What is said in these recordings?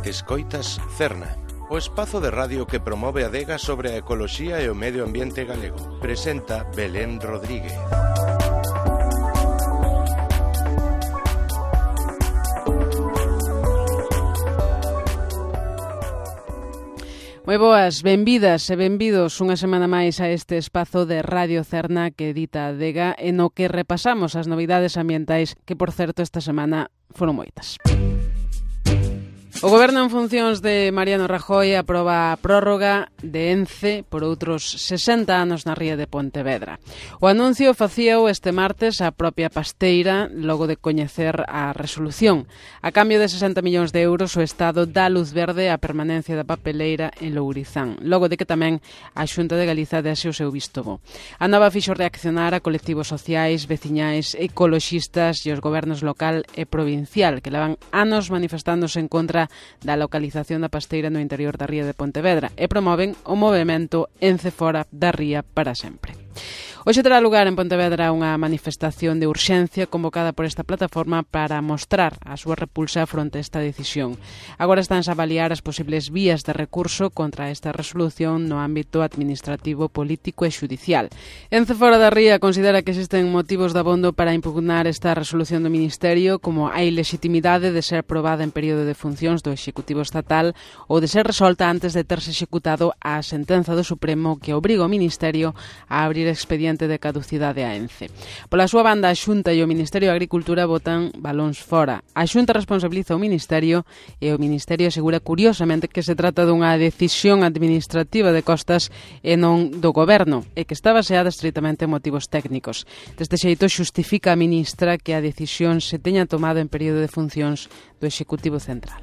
Escoitas Cerna, o espazo de radio que promove a adega sobre a ecoloxía e o medio ambiente galego. Presenta Belén Rodríguez. Moi boas, benvidas e benvidos unha semana máis a este espazo de Radio Cerna que edita a adega e no que repasamos as novidades ambientais que, por certo, esta semana foron moitas. O Goberno en funcións de Mariano Rajoy aproba a prórroga de ENCE por outros 60 anos na ría de Pontevedra. O anuncio facíao este martes a propia Pasteira logo de coñecer a resolución. A cambio de 60 millóns de euros o Estado dá luz verde á permanencia da papeleira en Lourizán, logo de que tamén a Xunta de Galiza dese o seu visto bo. A nova fixo reaccionar a colectivos sociais, veciñais, ecoloxistas e os gobernos local e provincial que levan anos manifestándose en contra da localización da pasteira no interior da ría de Pontevedra e promoven o movemento ENCE fora da ría para sempre. Hoxe terá lugar en Pontevedra unha manifestación de urxencia convocada por esta plataforma para mostrar a súa repulsa fronte a esta decisión. Agora estánse a avaliar as posibles vías de recurso contra esta resolución no ámbito administrativo, político e xudicial. ENCE fora da ría considera que existen motivos de abondo para impugnar esta resolución do Ministerio, como a ilegitimidade de ser aprobada en período de funcións do Executivo Estatal ou de ser resolta antes de terse executado a sentenza do Supremo que obriga o Ministerio a abrir expediente de caducidade a ENCE. Pola súa banda, a Xunta e o Ministerio de Agricultura botan balóns fora. A Xunta responsabiliza o Ministerio e o Ministerio asegura curiosamente que se trata dunha decisión administrativa de costas e non do Goberno e que está baseada estritamente en motivos técnicos. Deste xeito xustifica a ministra que a decisión se teña tomado en período de funcións do Executivo Central.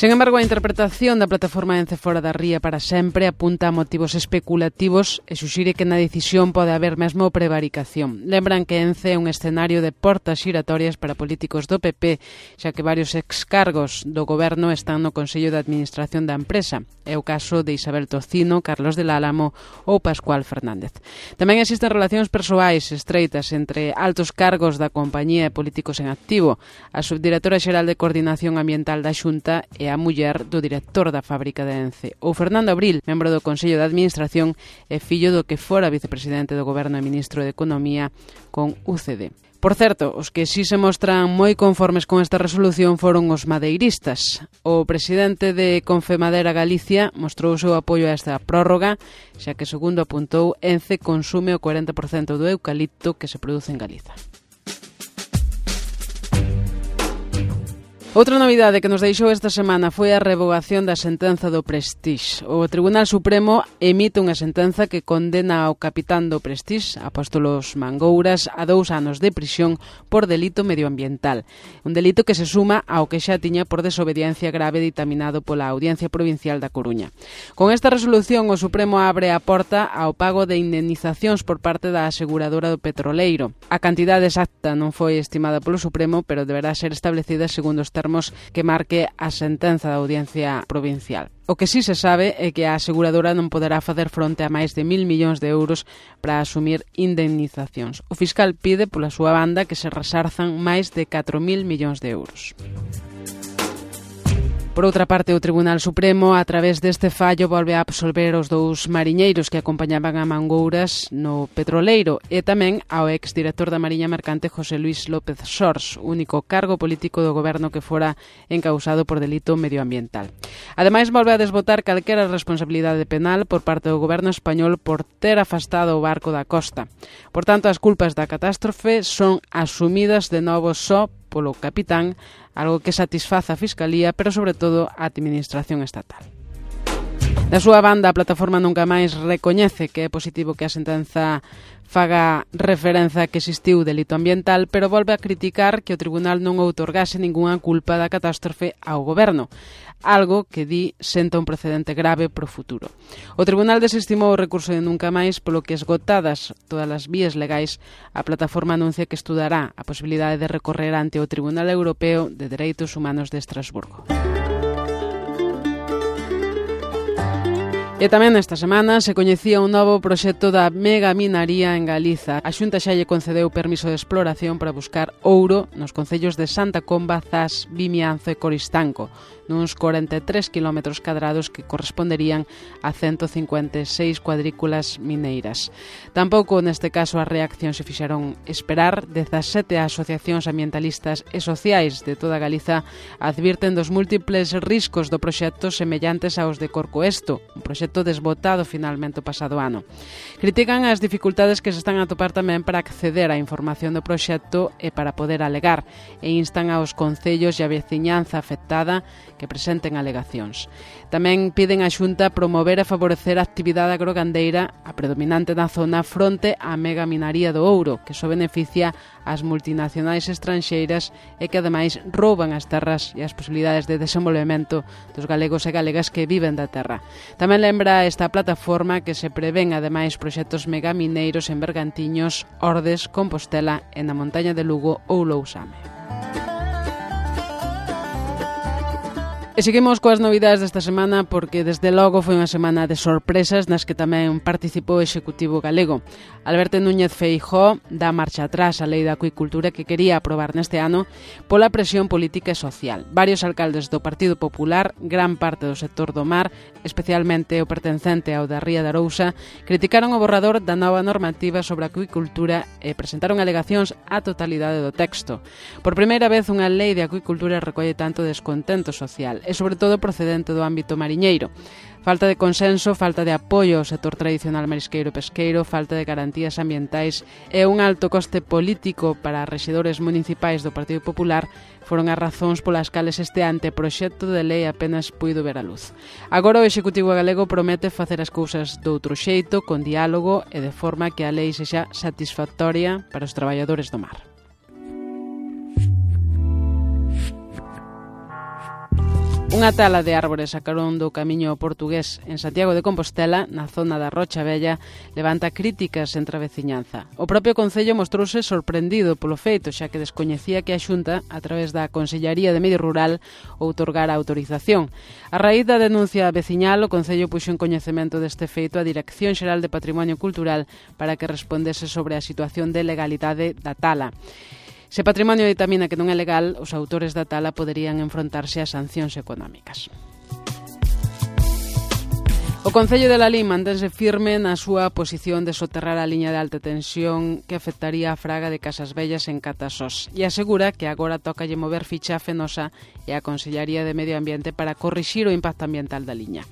Sen embargo, a interpretación da plataforma ENCE fora da ría para sempre apunta a motivos especulativos e suxire que na decisión pode haber mesmo prevaricación. Lembran que ENCE é un escenario de portas xiratorias para políticos do PP, xa que varios excargos do Goberno están no Consello de Administración da empresa. É o caso de Isabel Tocino, Carlos del Álamo ou Pascual Fernández. Tamén existen relacións persoais estreitas entre altos cargos da compañía e políticos en activo. A subdirectora xeral de Coordinación Ambiental da Xunta e a muller do director da fábrica de ENCE. O Fernando Abril, membro do Consello de Administración e fillo do que fora vicepresidente do Goberno e ministro de Economía con UCD. Por certo, os que sí se mostran moi conformes con esta resolución foron os madeiristas. O presidente de Confemadera Galicia mostrou o seu apoio a esta prórroga, xa que, segundo apuntou, ENCE consume o 40% do eucalipto que se produce en Galiza. Outra novidade que nos deixou esta semana foi a revogación da sentenza do Prestige. O Tribunal Supremo emite unha sentenza que condena ao capitán do Prestige, Apóstolos Mangouras, a 2 anos de prisión por delito medioambiental. Un delito que se suma ao que xa tiña por desobediencia grave ditaminado pola Audiencia Provincial da Coruña. Con esta resolución, o Supremo abre a porta ao pago de indemnizacións por parte da aseguradora do petroleiro. A cantidade exacta non foi estimada polo Supremo, pero deberá ser establecida segundo os termos que marque a sentenza da Audiencia Provincial. O que sí se sabe é que a aseguradora non poderá facer fronte a máis de 1.000 millóns de euros para asumir indemnizacións. O fiscal pide pola súa banda que se resarzan máis de 4.000 millóns de euros. Por outra parte, o Tribunal Supremo, a través deste fallo, volve a absolver os 2 mariñeiros que acompañaban a Mangouras no petroleiro e tamén ao exdirector da Mariña Mercante José Luis López Sors, único cargo político do Goberno que fora encausado por delito medioambiental. Ademais, volve a desbotar calquera responsabilidade penal por parte do Goberno español por ter afastado o barco da costa. Por tanto, as culpas da catástrofe son asumidas de novo só polo capitán, algo que satisfaza a Fiscalía, pero sobre todo a Administración Estatal. Da súa banda, a plataforma Nunca Máis recoñece que é positivo que a sentenza faga referencia que existiu delito ambiental, pero volve a criticar que o tribunal non outorgase ningunha culpa da catástrofe ao Goberno, algo que di senta un precedente grave pro futuro. O tribunal desestimou o recurso de Nunca Máis, polo que, esgotadas todas as vías legais, a plataforma anuncia que estudará a posibilidade de recorrer ante o Tribunal Europeo de Dereitos Humanos de Estrasburgo. E tamén esta semana se coñecía un novo proxecto da megaminaría en Galiza. A Xunta xa lle concedeu permiso de exploración para buscar ouro nos concellos de Santa Comba, Zas, Vimianzo e Coristanco, nuns 43 km cadrados que corresponderían a 156 cuadrículas mineiras. Tampouco neste caso as reaccións se fixeron esperar. 17 asociacións ambientalistas e sociais de toda Galiza advirten dos múltiples riscos do proxecto semellantes aos de Corcoesto, un proxecto desbotado finalmente o pasado ano. Critican as dificultades que se están a topar tamén para acceder á información do proxecto e para poder alegar, e instan aos concellos e a veciñanza afectada que presenten alegacións. Tamén piden á Xunta promover e favorecer a actividade agrogandeira, a predominante na zona, fronte á megaminaría do ouro, que só beneficia as multinacionais estranxeiras e que ademais rouban as terras e as posibilidades de desenvolvemento dos galegos e galegas que viven da terra. Tamén lembra esta plataforma que se prevén ademais proxectos megamineiros en Bergantiños, Ordes, Compostela e na montaña de Lugo ou Lousame. E seguimos coas novidades desta semana porque desde logo foi unha semana de sorpresas nas que tamén participou o Executivo galego. Alberto Núñez Feijóo dá marcha atrás á Lei da Acuicultura que quería aprobar neste ano pola presión política e social. Varios alcaldes do Partido Popular, gran parte do sector do mar, especialmente o pertencente ao da Ría de Arousa, criticaron o borrador da nova normativa sobre a acuicultura e presentaron alegacións á totalidade do texto. Por primeira vez unha lei de acuicultura recolle tanto descontento social e sobre todo procedente do ámbito mariñeiro. Falta de consenso, falta de apoio ao sector tradicional marisqueiro e pesqueiro, falta de garantías ambientais e un alto coste político para rexedores municipais do Partido Popular foron as razóns polas cales este anteproxecto de lei apenas puido ver a luz. Agora o Executivo galego promete facer as cousas doutro xeito, con diálogo e de forma que a lei sexa satisfactoria para os traballadores do mar. Unha tala de árbores a carón do camiño portugués en Santiago de Compostela, na zona da Rocha Vella, levanta críticas entre a veciñanza. O propio Concello mostrouse sorprendido polo feito, xa que descoñecía que a Xunta, a través da Consellaría de Medio Rural, outorgara a autorización. A raíz da denuncia veciñal, o Concello puxo en coñecemento deste feito a Dirección Xeral de Patrimonio Cultural para que respondese sobre a situación de legalidade da tala. Se patrimonio ditamina que non é legal, os autores da tala poderían enfrontarse a sancións económicas. O Concello de Lalín mantense firme na súa posición de soterrar a liña de alta tensión que afectaría a fraga de Casas Vellas en Catasós e asegura que agora tócalle mover ficha a Fenosa e a Consellaría de Medio Ambiente para corrixir o impacto ambiental da liña.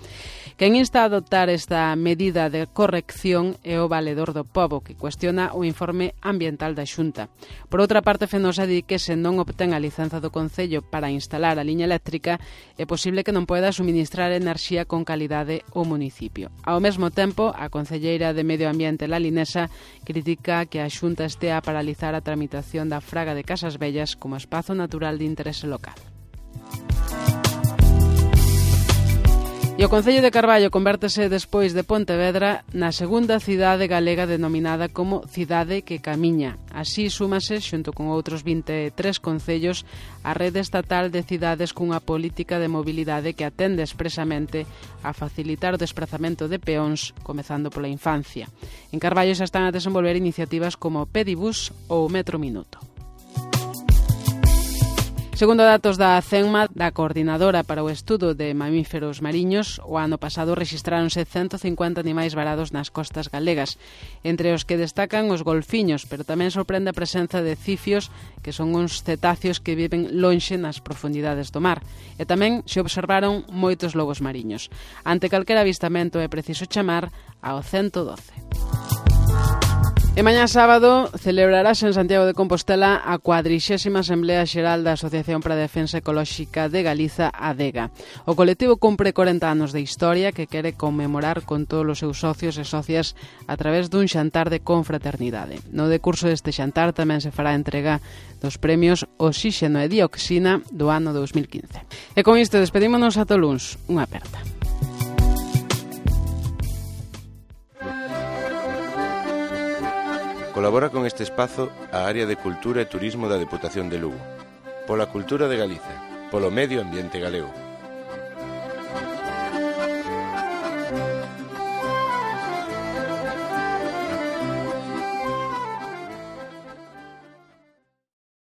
Quen insta a adoptar esta medida de corrección é o Valedor do Pobo, que cuestiona o informe ambiental da Xunta. Por outra parte, Fenosa di que se non obtén a licenza do Concello para instalar a liña eléctrica, é posible que non poida suministrar enerxía con calidade ao municipio. Ao mesmo tempo, a concelleira de Medio Ambiente lalinesa critica que a Xunta estea a paralizar a tramitación da fraga de Casas Vellas como espazo natural de interese local. E o Concello de Carballo convértese despois de Pontevedra na segunda cidade galega denominada como Cidade que Camiña. Así súmase, xunto con outros 23 concellos, a rede estatal de cidades cunha política de mobilidade que atende expresamente a facilitar o desprazamento de peóns, comezando pola infancia. En Carballo xa están a desenvolver iniciativas como Pedibus ou Metro Minuto. Segundo datos da CENMA, da Coordinadora para o Estudo de Mamíferos Mariños, o ano pasado rexistráronse 150 animais varados nas costas galegas, entre os que destacan os golfiños, pero tamén sorprende a presenza de cifios, que son uns cetáceos que viven lonxe nas profundidades do mar, e tamén se observaron moitos lobos mariños. Ante calquera avistamento é preciso chamar ao 112. E mañá sábado celebrarase en Santiago de Compostela a 40ª Asamblea Xeral da Asociación para a Defensa Ecolóxica de Galiza, ADEGA. O colectivo cumpre 40 anos de historia que quere conmemorar con todos os seus socios e socias a través dun xantar de confraternidade. No decurso deste xantar tamén se fará entrega dos premios Oxíxeno e Dioxina do ano 2015. E con isto despedímonos ata o luns. Unha aperta. Colabora con este espazo a Área de Cultura e Turismo da Deputación de Lugo. Pola cultura de Galiza, polo medio ambiente galego.